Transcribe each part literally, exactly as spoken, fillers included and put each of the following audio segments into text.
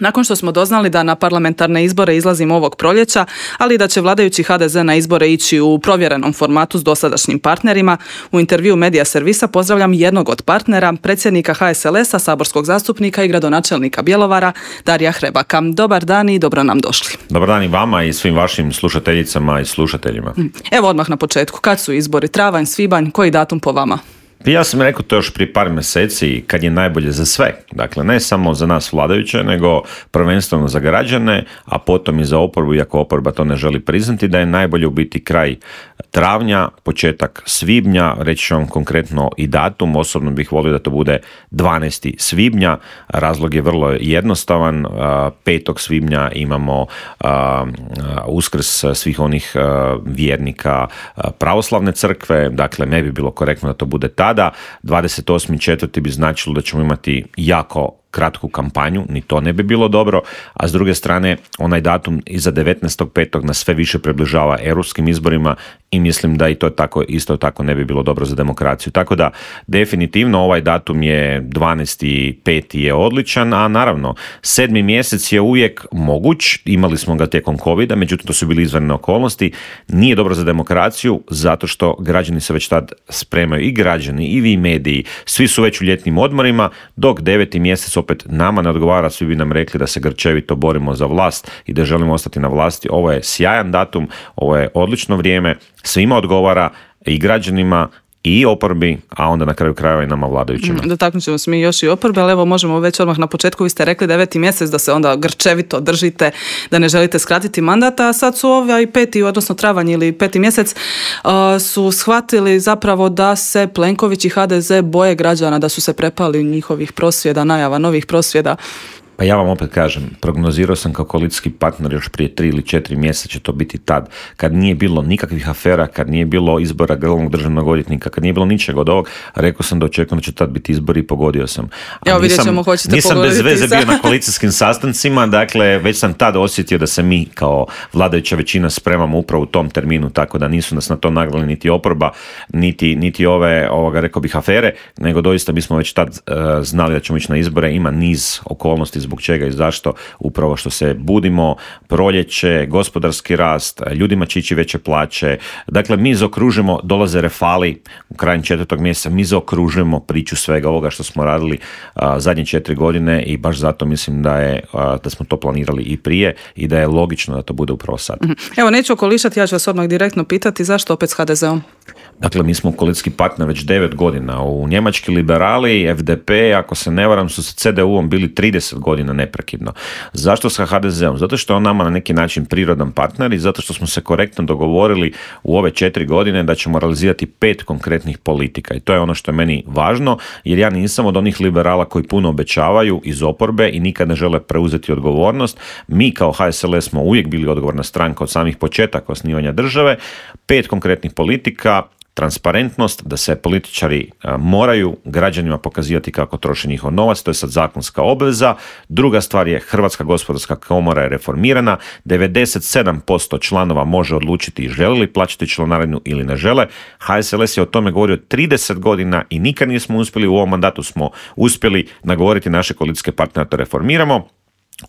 Nakon što smo doznali da na parlamentarne izbore izlazimo ovog proljeća, ali da će vladajući ha de ze na izbore ići u provjerenom formatu s dosadašnjim partnerima, u intervju Medija servisa pozdravljam jednog od partnera, predsjednika ha es el es a, saborskog zastupnika i gradonačelnika Bjelovara, Darija Hrebaka. Dobar dan i dobro nam došli. Dobar dan i vama i svim vašim slušateljicama i slušateljima. Evo odmah na početku, kad su izbori? Travanj, svibanj, koji datum po vama? Ja sam rekao to još prije par mjeseci kad je najbolje za sve. Dakle, ne samo za nas vladajuće, nego prvenstveno za građane, a potom i za oporbu, iako oporba to ne želi priznati, da je najbolje u biti kraj travnja, početak svibnja, reći ću vam konkretno i datum, osobno bih volio da to bude dvanaestog svibnja, razlog je vrlo jednostavan, petog svibnja imamo Uskrs svih onih vjernika pravoslavne crkve, dakle ne bi bilo korektno da to bude tada. dvadeset osmi četvrti bi značilo da ćemo imati jako kratku kampanju, ni to ne bi bilo dobro, a s druge strane onaj datum iza devetnaestog petog nas sve više približava europskim izborima i mislim da i to tako, isto tako ne bi bilo dobro za demokraciju. Tako da definitivno ovaj datum je dvanaesti peti je odličan, a naravno sedmi mjesec je uvijek moguć, imali smo ga tijekom covida, međutim to su bili izvanredne okolnosti, nije dobro za demokraciju zato što građani se već tad spremaju, i građani i vi mediji, svi su već u ljetnim odmorima, dok deveti mjesec opet nama ne odgovara, svi bi nam rekli da se grčevito borimo za vlast i da želimo ostati na vlasti. Ovo je sjajan datum, ovo je odlično vrijeme, svima odgovara, i građanima i oporbi, a onda na kraju krajeva i nama vladajućima. Dotaknut ćemo se mi još i oporbe, ali evo možemo već odmah na početku, vi ste rekli deveti mjesec da se onda grčevito držite, da ne želite skratiti mandat, a sad su ovaj peti, odnosno travanj ili peti mjesec, uh, su shvatili zapravo da se Plenković i ha de ze boje građana, da su se prepali njihovih prosvjeda, najava novih prosvjeda. Pa ja vam opet kažem, prognozirao sam kao koalicijski partner još prije tri ili četiri mjeseca će to biti tad, kad nije bilo nikakvih afera, kad nije bilo izbora glavnog državnog odvjetnika, kad nije bilo ničeg od ovog, rekao sam da očekujem da će tad biti izbori i pogodio sam. A Evo vidjet ćemo, hoćete nisam pogoditi. Nisam bez veze bio na koalicijskim sastancima, dakle već sam tad osjetio da se mi kao vladajuća većina spremamo upravo u tom terminu, tako da nisu nas na to nagnali niti oporba, niti, niti ove, ovoga, rekao bih, afere, nego doista mi smo već tad uh, znali da ćemo ići na izbore, ima niz okolnosti zbog čega i zašto, upravo što se budimo, proljeće, gospodarski rast, ljudima će ići veće plaće, dakle mi zaokružimo, dolaze refali u krajem četvrtog mjeseca, mi zaokružujemo priču svega ovoga što smo radili a, zadnje četiri godine i baš zato mislim da je a, da smo to planirali i prije i da je logično da to bude upravo sad. Evo, neću okolišati, ja ću vas odmah direktno pitati zašto opet s ha de zeom? Dakle, mi smo koalicijski partner već devet godina. U njemački liberali, ef de pe, ako se ne varam, su sa ce de u-om bili trideset godina neprekidno. Zašto sa ha de zeom? Zato što je on nama na neki način prirodan partner i zato što smo se korektno dogovorili u ove četiri godine da ćemo realizirati pet konkretnih politika. I to je ono što je meni važno, jer ja nisam od onih liberala koji puno obećavaju iz oporbe i nikad ne žele preuzeti odgovornost. Mi kao ha es el es smo uvijek bili odgovorna stranka od samih početaka osnivanja države. Pet konkretnih politika, transparentnost, da se političari a, moraju građanima pokazivati kako troše njihov novac, to je sad zakonska obveza. Druga stvar je Hrvatska gospodarska komora je reformirana, devedeset sedam posto članova može odlučiti žele li plaćati članarinu ili ne žele. ha es el es je o tome govorio trideset godina i nikad nismo uspjeli, u ovom mandatu smo uspjeli nagovoriti naše koalicijske partnere da to reformiramo.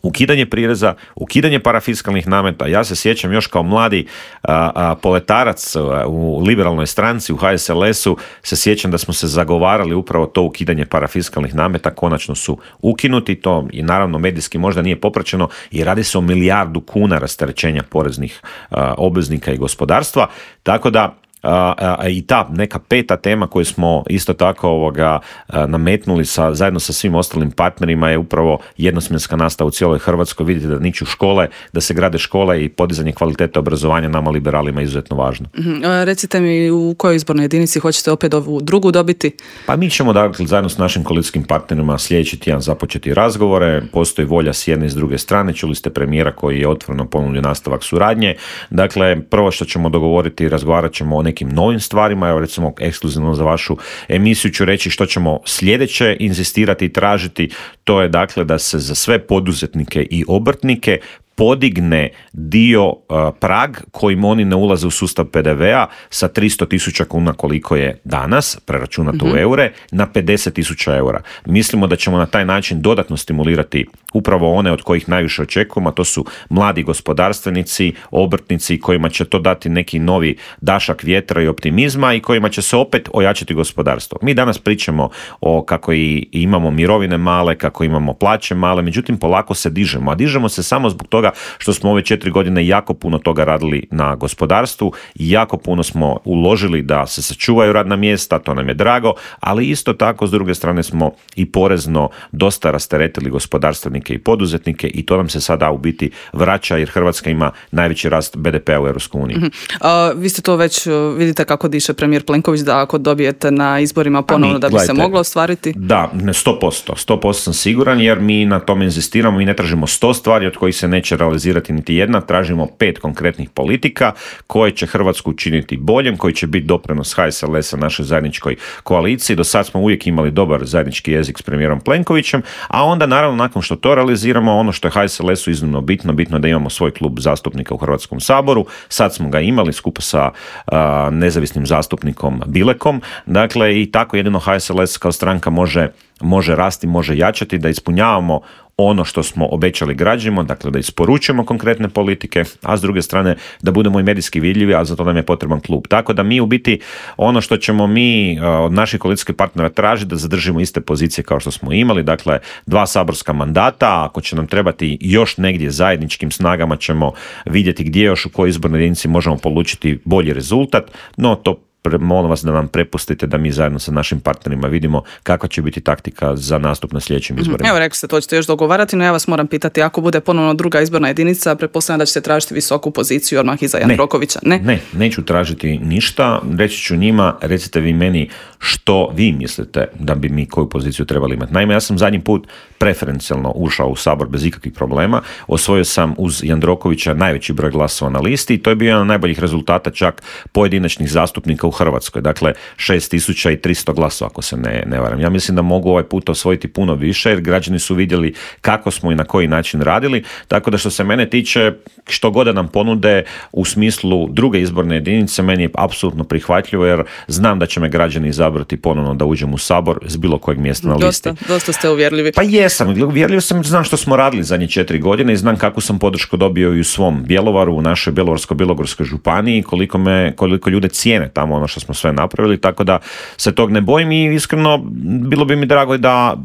Ukidanje prireza, ukidanje parafiskalnih nameta. Ja se sjećam još kao mladi a, a, poletarac a, u liberalnoj stranci, u ha es el esu, se sjećam da smo se zagovarali upravo to ukidanje parafiskalnih nameta, konačno su ukinuti, to i naravno medijski možda nije popraćeno i radi se o milijardu kuna rasterećenja poreznih a, obveznika i gospodarstva, tako da A, a, i ta neka peta tema koju smo isto tako ovoga, a, nametnuli sa, zajedno sa svim ostalim partnerima je upravo jednosmjenska nastava u cijeloj Hrvatskoj. Vidite da niču škole, da se grade škole i podizanje kvalitete obrazovanja nama liberalima je izuzetno važno. Mm-hmm. Recite mi u kojoj izbornoj jedinici hoćete opet ovu drugu dobiti? Pa mi ćemo dakle zajedno s našim koalicijskim partnerima sljedeći tjedan započeti razgovore, postoji volja s jedne i s druge strane, čuli ste premijera koji je otvoreno ponudio nastavak suradnje. Dakle, prvo što ćemo dogovoriti, razgovarat ćemo o nekim novim stvarima, evo recimo ekskluzivno za vašu emisiju ću reći što ćemo sljedeće inzistirati i tražiti, to je dakle da se za sve poduzetnike i obrtnike podigne dio uh, prag kojim oni ne ulaze u sustav P D V-a sa tristo tisuća kuna koliko je danas, preračunato mm-hmm. u eure, na pedeset tisuća eura. Mislimo da ćemo na taj način dodatno stimulirati upravo one od kojih najviše očekujemo, a to su mladi gospodarstvenici, obrtnici kojima će to dati neki novi dašak vjetra i optimizma i kojima će se opet ojačati gospodarstvo. Mi danas pričamo o kako i imamo mirovine male, kako imamo plaće male, međutim polako se dižemo, a dižemo se samo zbog toga što smo ove četiri godine jako puno toga radili na gospodarstvu, jako puno smo uložili da se sačuvaju radna mjesta, to nam je drago, ali isto tako s druge strane smo i porezno dosta rasteretili gospodarstvenike i poduzetnike i to nam se sada u biti vraća jer Hrvatska ima najveći rast B D P-a u Europskoj uniji. Mm-hmm. A, vi ste to već vidite kako diše premijer Plenković da ako dobijete na izborima ponovno mi, da bi gledajte, se moglo ostvariti? Da, sto posto. sto posto sam siguran jer mi na tome inzistiramo, mi ne tražimo sto stvari od kojih se neće realizirati niti jedna, tražimo pet konkretnih politika koje će Hrvatsku učiniti boljem, koji će biti doprinos H S L S-a našoj zajedničkoj koaliciji. Do sad smo uvijek imali dobar zajednički jezik s premijerom Plenkovićem, a onda naravno nakon što to realiziramo, ono što je H S L S-u iznimno bitno, bitno da imamo svoj klub zastupnika u Hrvatskom saboru. Sad smo ga imali skupa sa a, nezavisnim zastupnikom Bilekom. Dakle, i tako jedino H S L S kao stranka može, može rasti, može jačati, da ispunjavamo ono što smo obećali građanima, dakle da isporučujemo konkretne politike, a s druge strane da budemo i medijski vidljivi, a za to nam je potreban klub. Tako da mi u biti ono što ćemo mi od naših koalicijskih partnera tražiti da zadržimo iste pozicije kao što smo imali, dakle dva saborska mandata, ako će nam trebati još negdje zajedničkim snagama ćemo vidjeti gdje još u kojoj izbornoj jedinici možemo polučiti bolji rezultat, no to molim vas da nam prepustite da mi zajedno sa našim partnerima vidimo kakva će biti taktika za nastup na sljedećim izborima. Evo, rekli ste, to ćete još dogovarati, no ja vas moram pitati, ako bude ponovno druga izborna jedinica, pretpostavljam da ćete tražiti visoku poziciju odmah iza Jandrokovića, ne? Ne, neću tražiti ništa, reći ću njima, recite vi meni što vi mislite da bi mi koju poziciju trebali imati. Naime, ja sam zadnji put preferencijalno ušao u Sabor bez ikakvih problema, osvojio sam uz Jandrokovića najveći broj glasova na listi i to je bio jedan od najboljih rezultata čak pojedinačnih zastupnika u Hrvatskoj, dakle šest tisuća tristo glasova ako se ne, ne varam. Ja mislim da mogu ovaj put osvojiti puno više jer građani su vidjeli kako smo i na koji način radili, tako da što se mene tiče što god da nam ponude u smislu druge izborne jedinice meni je apsolutno prihvatljivo jer znam da će me građani izabrati ponovno da uđem u Sabor s bilo kojeg mjesta na listi. Dosta, dosta ste uvjerljivi. Pa jesam, uvjerljiv sam, znam što smo radili zadnje četiri godine i znam kakvu sam podršku dobio i u svom Bjelovaru, u našoj Bjelovarsko-bilogorskoj županiji, koliko me, koliko ljude cijene tamo ono što smo sve napravili, tako da se tog ne bojim i iskreno bilo bi mi drago da,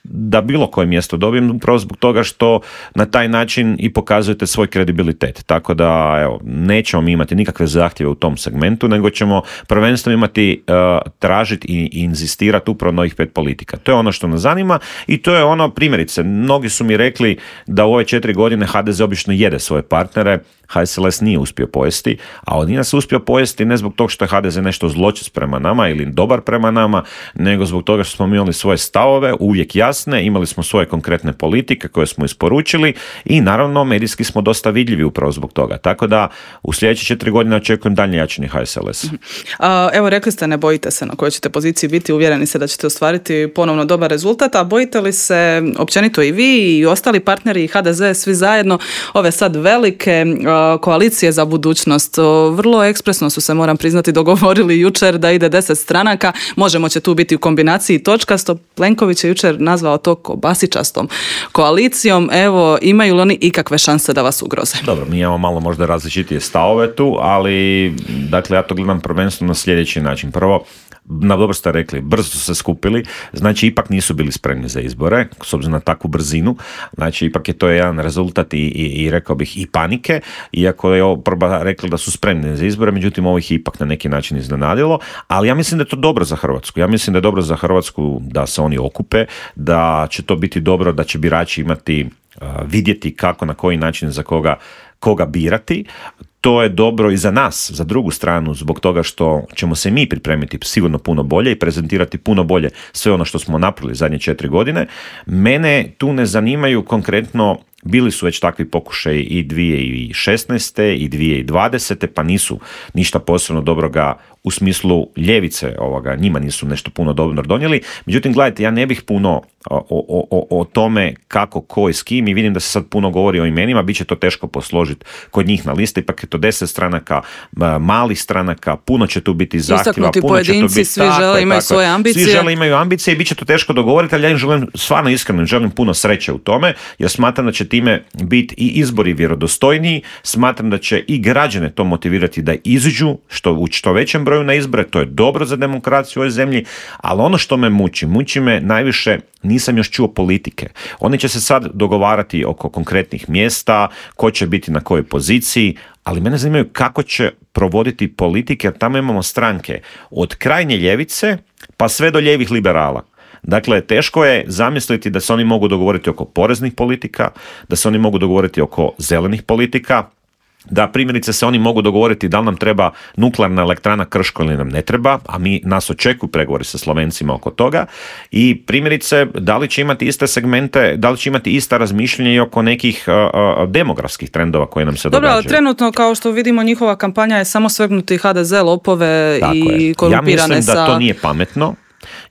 da bilo koje mjesto dobijem upravo zbog toga što na taj način i pokazujete svoj kredibilitet. Tako da evo, nećemo mi imati nikakve zahtjeve u tom segmentu, nego ćemo prvenstveno imati uh, tražiti i, i inzistirati upravo na ovih pet politika. To je ono što nas zanima i to je ono, primjerice, mnogi su mi rekli da u ove četiri godine H D Z obično jede svoje partnere, H S L S nije uspio pojesti, a on nije nas uspio pojesti ne zbog toga što je H D Z nešto zločest prema nama ili dobar prema nama, nego zbog toga što smo mi imali svoje stavove, uvijek jasne, imali smo svoje konkretne politike koje smo isporučili i naravno medijski smo dosta vidljivi upravo zbog toga. Tako da u sljedeće četiri godine očekujem daljnje jačanje H S L S. A, evo, rekli ste ne bojite se na kojoj ćete poziciji biti, uvjereni se da ćete ostvariti ponovno dobar rezultat, a bojite li se općenito i vi i ostali partneri i H D Z svi zajedno ove sad velike koalicije za budućnost? Vrlo ekspresno su se, moram priznati, dogovorili jučer da ide deset stranaka, Možemo će tu biti u kombinaciji točkasto. Plenković je jučer nazvao to kobasičastom koalicijom. Evo, imaju li oni ikakve šanse da vas ugroze? Dobro, mi imamo malo možda različitije stavove tu, ali dakle ja to gledam prvenstveno na sljedeći način. Prvo, na dobro ste rekli, brzo su se skupili, znači ipak nisu bili spremni za izbore, s obzirom na takvu brzinu, znači ipak je to jedan rezultat i, i, i rekao bih i panike, iako je oporba rekla da su spremni za izbore, međutim ovo ih ipak na neki način iznenadilo, ali ja mislim da je to dobro za Hrvatsku, ja mislim da je dobro za Hrvatsku da se oni okupe, da će to biti dobro, da će birači imati, uh, vidjeti kako, na koji način, za koga koga birati. to je dobro i za nas, za drugu stranu, zbog toga što ćemo se mi pripremiti sigurno puno bolje i prezentirati puno bolje sve ono što smo napravili zadnje četiri godine. Mene tu ne zanimaju konkretno, bili su već takvi pokušaji i dvije tisuće šesnaeste i dvije tisuće dvadesete, pa nisu ništa posebno dobroga u smislu ljevice ovoga, njima nisu nešto puno dobro donijeli. Međutim, gledajte, ja ne bih puno o, o, o, o tome kako, ko i s kim, i vidim da se sad puno govori o imenima, bit će to teško posložiti kod njih na listi, ipak je to deset stranaka, malih stranaka, puno će tu biti zahtjeva, puno pojedinci, će tu biti, svi žele, imaju svoje ambicije. Svi žele, imaju ambicije i bit će to teško dogovoriti, ali ja im želim, stvarno iskreno želim puno sreće u tome, jer smatram da će time biti i izbori vjerodostojniji, smatram da će i građane to motivirati da iziđu što u što većem broju na izbore, to je dobro za demokraciju u ovoj zemlji, ali ono što me muči, muči me najviše, nisam još čuo politike. Oni će se sad dogovarati oko konkretnih mjesta, ko će biti na kojoj poziciji, ali mene zanimaju kako će provoditi politike, jer tamo imamo stranke od krajnje ljevice pa sve do lijevih liberala. Dakle, teško je zamisliti da se oni mogu dogovoriti oko poreznih politika, da se oni mogu dogovoriti oko zelenih politika, da primjerice se oni mogu dogovoriti da li nam treba nuklearna elektrana Krško ili nam ne treba, a mi nas očekuju pregovori sa Slovencima oko toga, i primjerice da li će imati iste segmente, da li će imati ista razmišljanja i oko nekih uh, uh, demografskih trendova koje nam se Dobro, događaju. Dobro, ali trenutno kao što vidimo njihova kampanja je samo svegnuti ha de ze, lopove Tako i je. korumpirane sa... Ja mislim da to nije pametno.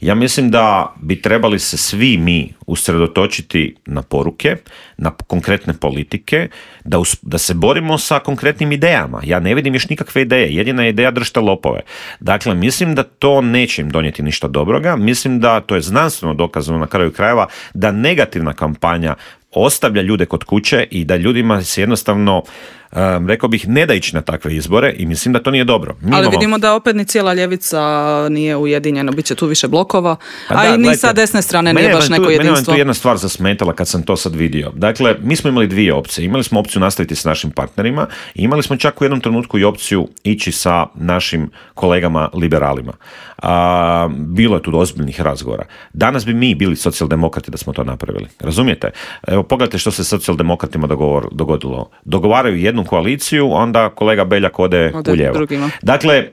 Ja mislim da bi trebali se svi mi usredotočiti na poruke, na konkretne politike, da, us, da se borimo sa konkretnim idejama. Ja ne vidim još nikakve ideje. Jedina ideja držite lopove. Dakle, mislim da to neće im donijeti ništa dobroga. Mislim da to je znanstveno dokazano na kraju krajeva da negativna kampanja ostavlja ljude kod kuće i da ljudima se jednostavno, um, rekao bih, ne da ići na takve izbore, i mislim da to nije dobro. Mi Ali imamo... vidimo da opet ni cijela ljevica nije ujedinjena, bit će tu više blokova, pa a da, i ni gledajte, sa desne strane mene nije baš tu, neko jedinstvo. Mene je tu jedna stvar zasmetala kad sam to sad vidio. Dakle, mi smo imali dvije opcije. Imali smo opciju nastaviti s našim partnerima i imali smo čak u jednom trenutku i opciju ići sa našim kolegama liberalima. A, bilo je tu ozbiljnih razgovora. Danas bi mi bili socijaldemokrati da smo to napravili. Razumijete? Evo, pogledajte što se socijaldemokratima dogovor, dogodilo. Dogovaraju jednu koaliciju, onda kolega Beljak ode, ode u lijevo. Drugima. Dakle,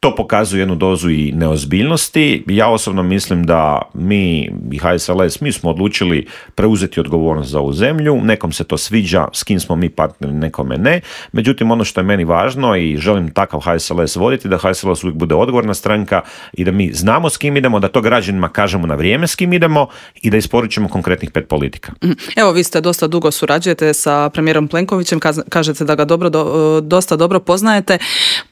to pokazuje jednu dozu i neozbiljnosti. Ja osobno mislim da mi i ha es el es, mi smo odlučili preuzeti odgovornost za ovu zemlju. Nekom se to sviđa, s kim smo mi partneri, nekome ne. Međutim, ono što je meni važno i želim takav ha es el es voditi, da ha es el es uvijek bude odgovorna stranka i da mi znamo s kim idemo, da to građanima kažemo na vrijeme s kim idemo i da isporučimo konkretnih pet politika. Evo, vi ste dosta dugo surađujete sa premijerom Plenkovićem, kažete da ga dobro, do, dosta dobro poznajete,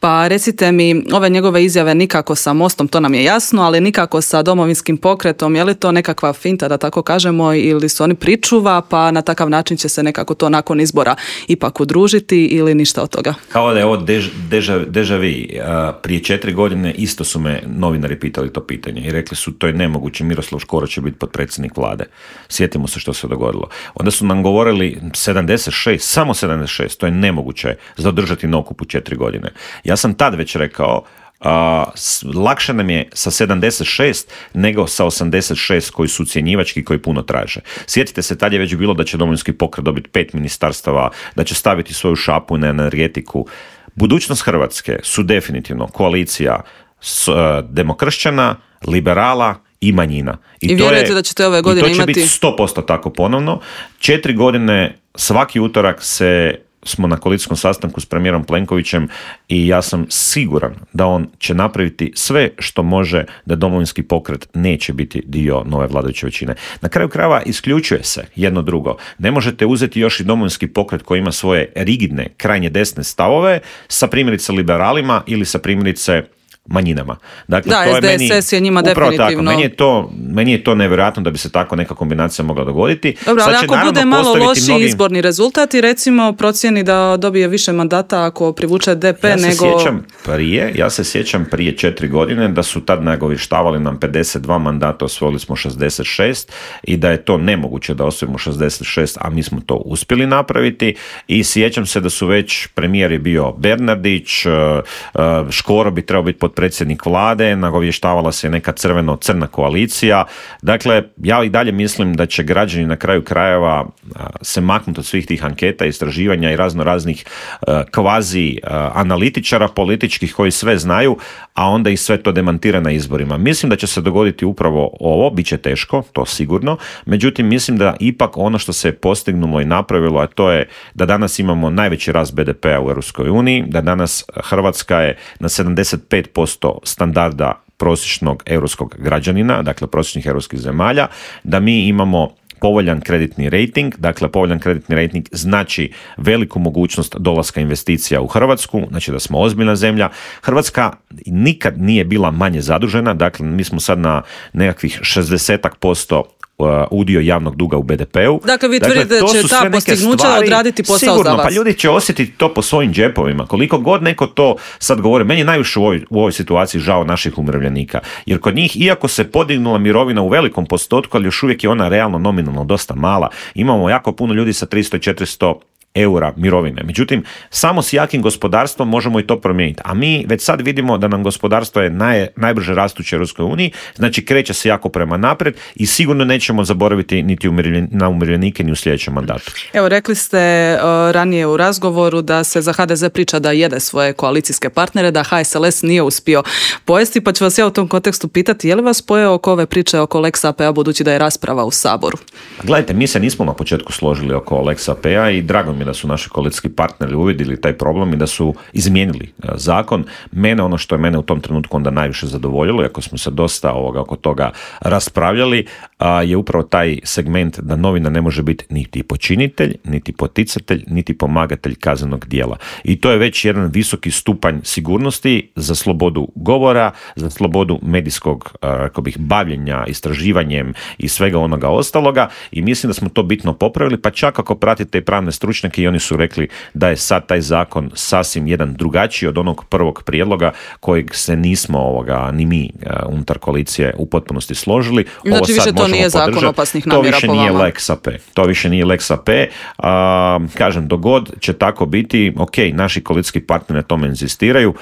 pa recite mi, ove njegove izjave nikako sa Mostom, to nam je jasno, ali nikako sa Domovinskim pokretom, je li to nekakva finta, da tako kažemo, ili su oni pričuva, pa na takav način će se nekako to nakon izbora ipak udružiti, ili ništa od toga? Kao da je ovo dež, deža, deža vi. Prije četiri godine isto su me novinari pitali to pitanje i rekli su to je nemoguće, Miroslav Škoro će biti potpredsjednik vlade. Sjetimo se što se dogodilo. Onda su nam govorili sedamdeset šest, samo sedamdeset šest, to je nemoguće zadržati na okupu četiri godine. Ja sam tad već rekao, Uh, lakše nam je sa sedamdeset šest nego sa osamdeset šest koji su ucjenjivački, koji puno traže. Sjetite se, tad je već bilo da će Domovinski pokret dobiti pet ministarstava, da će staviti svoju šapu na energetiku. Budućnost Hrvatske su definitivno koalicija s, uh, demokršćana, liberala i manjina. I, I vjerujete da ćete ove godine imati... I to će imati... biti sto posto tako ponovno. Četiri godine, svaki utorak se smo na koalicijskom sastanku s premijerom Plenkovićem i ja sam siguran da on će napraviti sve što može da Domovinski pokret neće biti dio nove vladajuće većine. Na kraju krajeva isključuje se jedno drugo. Ne možete uzeti još i Domovinski pokret koji ima svoje rigidne, krajnje desne stavove sa primjerice liberalima ili sa primjerice manjinama. Dakle, da, to es de es es je, je njima definitivno. Tako. Meni je, to, meni je to nevjerojatno da bi se tako neka kombinacija mogla dogoditi. Dobro, ali ako bude malo loši mnogi... izborni rezultat i recimo procijeni da dobije više mandata ako privuče de pe ja nego... Se sjećam prije, ja se sjećam prije četiri godine da su tad nagovještavali nam pedeset dva mandata, osvojili smo šezdeset šest i da je to nemoguće da osvojimo šezdeset šest, a mi smo to uspjeli napraviti i sjećam se da su već premijer je bio Bernardić, Škoro bi trebao biti pod potpredsjednik vlade, nagovještavala se neka crveno-crna koalicija. Dakle, ja i dalje mislim da će građani na kraju krajeva se maknuti od svih tih anketa, istraživanja i razno raznih kvazi analitičara političkih koji sve znaju, a onda i sve to demantira na izborima. Mislim da će se dogoditi upravo ovo, bit će teško, to sigurno, međutim mislim da ipak ono što se je postignulo i napravilo, a to je da danas imamo najveći rast be de pea u Europskoj uniji, da danas Hrvatska je na sedamdeset pet posto standarda prosječnog europskog građanina, dakle prosječnih europskih zemalja, da mi imamo povoljan kreditni rating, dakle povoljan kreditni rating znači veliku mogućnost dolaska investicija u Hrvatsku, znači da smo ozbiljna zemlja. Hrvatska nikad nije bila manje zadužena, dakle mi smo sad na nekakvih šezdeset posto udio javnog duga u be de peu. Dakle, vi tvrdite da će ta postignuća odraditi posao sigurno, za vas. Pa ljudi će osjetiti to po svojim džepovima. Koliko god neko to sad govori, meni je najviše u ovoj, u ovoj situaciji žao naših umirovljenika. Jer kod njih, iako se podignula mirovina u velikom postotku, ali još uvijek je ona realno nominalno dosta mala. Imamo jako puno ljudi sa tristo i četiristo eura mirovine. Međutim, samo s jakim gospodarstvom možemo i to promijeniti. A mi već sad vidimo da nam gospodarstvo je naj, najbrže rastuće u Europskoj uniji, znači kreće se jako prema naprijed i sigurno nećemo zaboraviti niti umirljen, na umirovljenike ni u sljedećem mandatu. Evo, rekli ste uh, ranije u razgovoru da se za ha de ze priča da jede svoje koalicijske partnere, da ha es el es nije uspio pojesti, pa ću vas ja u tom kontekstu pitati, je li vas pojeo oko ove priče oko Lex a pe a, budući da je rasprava u Saboru? Gledajte, mi se nismo na početku složili oko Lex a pe a i drago mi da su naši koalicijski partneri uvidjeli taj problem i da su izmijenili zakon. Mene, ono što je mene u tom trenutku onda najviše zadovoljilo, iako smo se dosta ovoga, oko toga raspravljali, je upravo taj segment da novina ne može biti niti počinitelj, niti poticatelj, niti pomagatelj kaznenog djela. I to je već jedan visoki stupanj sigurnosti za slobodu govora, za slobodu medijskog, rekao bih, bavljenja, istraživanjem i svega onoga ostaloga i mislim da smo to bitno popravili, pa čak ako pratite i pravne stručnjake i oni su rekli da je sad taj zakon sasvim jedan drugačiji od onog prvog prijedloga kojeg se nismo ovoga, ni mi uh, unutar koalicije u potpunosti složili. Znači Ovo više to nije zakon podržati. opasnih namjera po vama. To više nije Lex a pe. To više nije Lex a pe. Uh, kažem, dogod će tako biti, ok, naši koalicijski partneri na tome inzistiraju,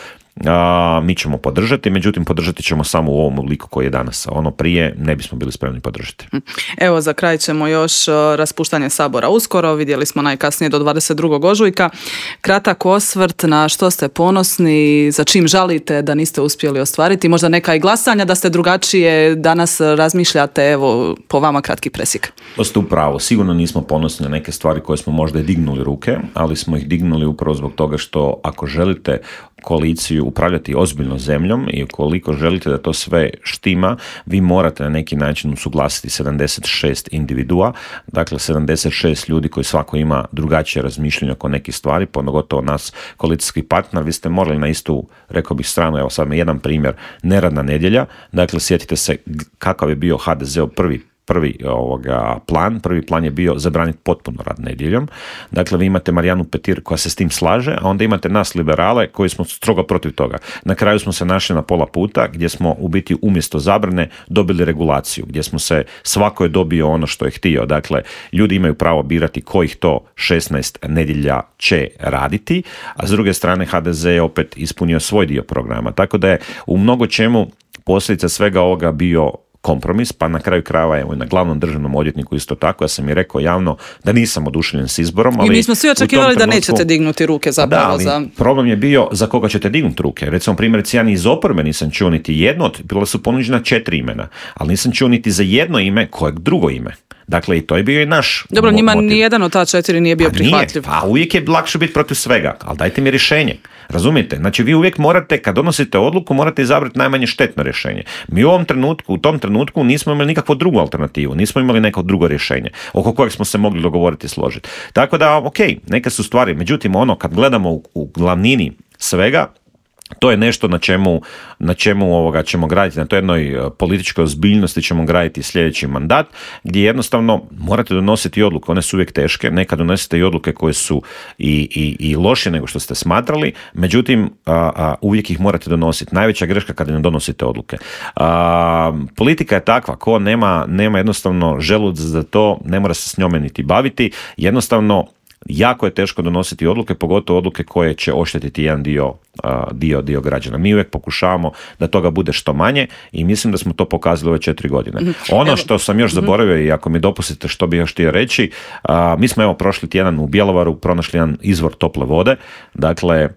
A, mi ćemo podržati, međutim podržati ćemo samo u ovom obliku koji je danas. Ono prije ne bismo bili spremni podržati. Evo, za kraj ćemo još raspuštanje Sabora uskoro. Vidjeli smo najkasnije do dvadeset drugog ožujka. Kratak osvrt na što ste ponosni, za čim žalite da niste uspjeli ostvariti. Možda neka i glasanja da ste drugačije danas razmišljate. Evo, po vama kratki presjek. To ste upravo. Sigurno nismo ponosni na neke stvari koje smo možda i dignuli ruke, ali smo ih dignuli upravo zbog toga što ako želite koaliciju upravljati ozbiljno zemljom i ukoliko želite da to sve štima, vi morate na neki način usuglasiti sedamdeset šest individua, dakle sedamdeset šest ljudi koji svako ima drugačije razmišljanje oko nekih stvari, pogotovo nas koalicijski partner, vi ste morali na istu, rekao bih, stranu, evo sad me jedan primjer, neradna nedjelja, dakle sjetite se kakav je bio ha de zeov prvi prvi ovoga plan. Prvi plan je bio zabraniti potpuno rad nedjeljom. Dakle, vi imate Marijanu Petir koja se s tim slaže, a onda imate nas liberale koji smo strogo protiv toga. Na kraju smo se našli na pola puta gdje smo u biti umjesto zabrane dobili regulaciju, gdje smo se, svako je dobio ono što je htio. Dakle, ljudi imaju pravo birati kojih to šesnaest nedjelja će raditi, a s druge strane ha de ze je opet ispunio svoj dio programa. Tako da je u mnogo čemu posljedica svega ovoga bio kompromis, pa na kraju krajeva evo i na glavnom državnom odvjetniku isto tako, ja sam i rekao javno da nisam oduševljen s izborom, ali i mi smo svi očekivali da nećete dignuti ruke zapravo. Da, ali za... problem je bio za koga ćete dignuti ruke. Recimo, primjerice, ja ni iz oporbe nisam čuo niti jedno, od, bila su ponuđena četiri imena, ali nisam čuo niti za jedno ime kojeg drugo ime. Dakle, i to je bio i naš Dobro, njima motiv. Nijedan od ta četiri nije bio pa prihvatljiv. Nije, pa uvijek je lakše biti protiv svega, ali dajte mi rješenje. Razumijete? Znači, vi uvijek morate, kad donosite odluku, morate izabrati najmanje štetno rješenje. Mi u ovom trenutku, u tom trenutku nismo imali nikakvu drugu alternativu, nismo imali neko drugo rješenje oko kojeg smo se mogli dogovoriti i složiti. Tako da, ok, neke su stvari, međutim, ono, kad gledamo u, u glavnini svega, to je nešto na čemu, na čemu ovoga ćemo graditi, na toj jednoj političkoj ozbiljnosti ćemo graditi sljedeći mandat, gdje jednostavno morate donositi odluke, one su uvijek teške, nekad donosite i odluke koje su i, i, i loše nego što ste smatrali, međutim a, a, uvijek ih morate donositi. Najveća greška kada ne donosite odluke. A, politika je takva, ko nema, nema jednostavno želudac za to, ne mora se s njome niti baviti, jednostavno jako je teško donositi odluke, pogotovo odluke koje će oštetiti jedan dio, dio, dio građana. Mi uvijek pokušavamo da toga bude što manje i mislim da smo to pokazali ove četiri godine. Ono što sam još zaboravio i ako mi dopustite što bih još htio reći, mi smo evo prošli tjedan u Bjelovaru pronašli jedan izvor tople vode, dakle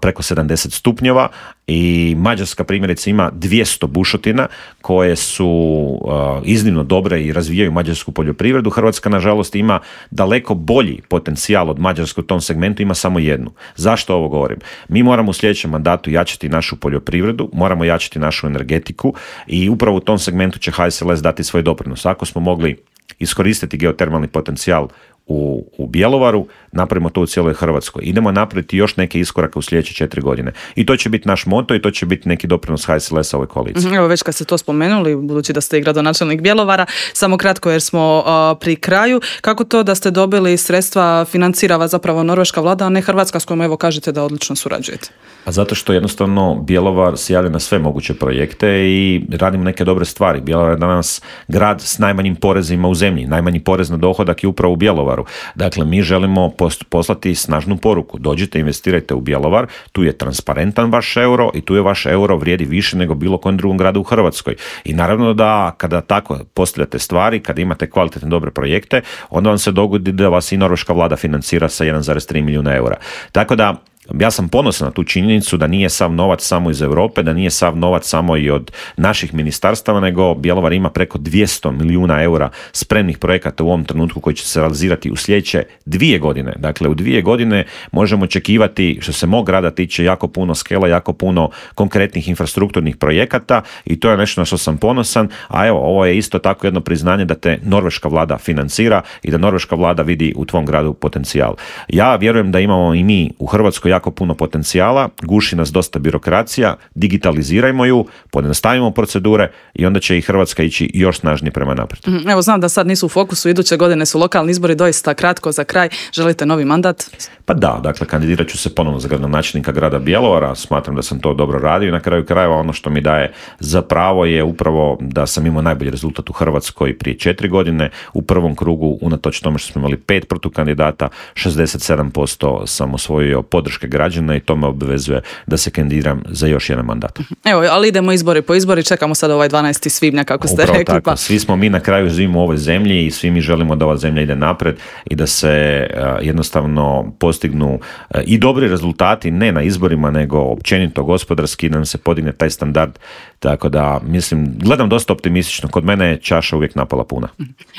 preko sedamdeset stupnjeva i Mađarska primjerice ima dvjesto bušotina koje su iznimno dobre i razvijaju mađarsku poljoprivredu. Hrvatska nažalost ima daleko bolji potencijal od Mađarske u tom segmentu, ima samo jednu. Zašto ovo govorim? Mi moramo u sljedećem mandatu jačati našu poljoprivredu, moramo jačati našu energetiku i upravo u tom segmentu će H S L S dati svoj doprinos. Ako smo mogli iskoristiti geotermalni potencijal U, u Bjelovaru, napravimo to u cijeloj Hrvatskoj. Idemo napraviti još neke iskorake u sljedeće četiri godine. I to će biti naš moto i to će biti neki doprinos H S L S-a ovoj koaliciji. Evo već kad ste to spomenuli, budući da ste i gradonačelnik Bjelovara, samo kratko jer smo uh, pri kraju, kako to da ste dobili sredstva financira zapravo norveška vlada, a ne Hrvatska s kojom evo kažete da odlično surađujete? A zato što jednostavno Bjelovar se javlja na sve moguće projekte i radimo neke dobre stvari. Bjelovar je danas grad s najmanjim porezima u zemlji. Najmanji porez na dohodak je upravo u Bjelovaru. Dakle, mi želimo poslati snažnu poruku. Dođite, investirajte u Bjelovar, tu je transparentan vaš euro i tu je vaš euro vrijedi više nego bilo kojem drugom gradu u Hrvatskoj. I naravno da kada tako postavljate stvari, kada imate kvalitetne dobre projekte, onda vam se dogodi da vas i norveška vlada financira sa jedan zarez tri milijuna eura. Tako da ja sam ponosan na tu činjenicu da nije sav novac samo iz Europe, da nije sav novac samo i od naših ministarstava, nego Bjelovar ima preko dvjesto milijuna eura spremnih projekata u ovom trenutku koji će se realizirati u sljedeće dvije godine. Dakle, u dvije godine možemo očekivati, što se mog grada tiče, jako puno skela, jako puno konkretnih infrastrukturnih projekata i to je nešto na što sam ponosan, a evo, ovo je isto tako jedno priznanje da te norveška vlada financira i da norveška vlada vidi u tvom gradu potencijal. Ja vjerujem da imamo i mi u Hrvatskoj jako puno potencijala, guši nas dosta birokracija, digitalizirajmo ju, pojednostavimo procedure i onda će i Hrvatska ići još snažnije prema naprijed. Evo, znam da sad nisu u fokusu, iduće godine su lokalni izbori, doista kratko za kraj. Želite novi mandat? Pa da, dakle, kandidirat ću se ponovno za gradonačelnika grada Bjelovara, smatram da sam to dobro radio i na kraju krajeva ono što mi daje za pravo je upravo da sam imao najbolji rezultat u Hrvatskoj prije četiri godine, u prvom krugu, unatoč tome što smo imali pet protukandidata, šezdeset sedam posto sam osvojio podrške građana i to me obvezuje da se kandidiram za još jedan mandat. Evo, ali idemo izbori po izbori, čekamo sad ovaj dvanaesti svibnja kako ste Upravo rekli. Tako. Pa... Svi smo mi na kraju živimo u ovoj zemlji i svi mi želimo da ova zemlja ide napred i da se uh, jednostavno postignu uh, i dobri rezultati, ne na izborima, nego općenito gospodarski, da nam se podigne taj standard. Tako da, mislim, gledam dosta optimistično. Kod mene je čaša uvijek napala puna.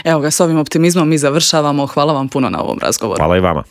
Evo ga, s ovim optimizmom mi završavamo. Hvala vam puno na ovom razgovoru. Hvala i vama.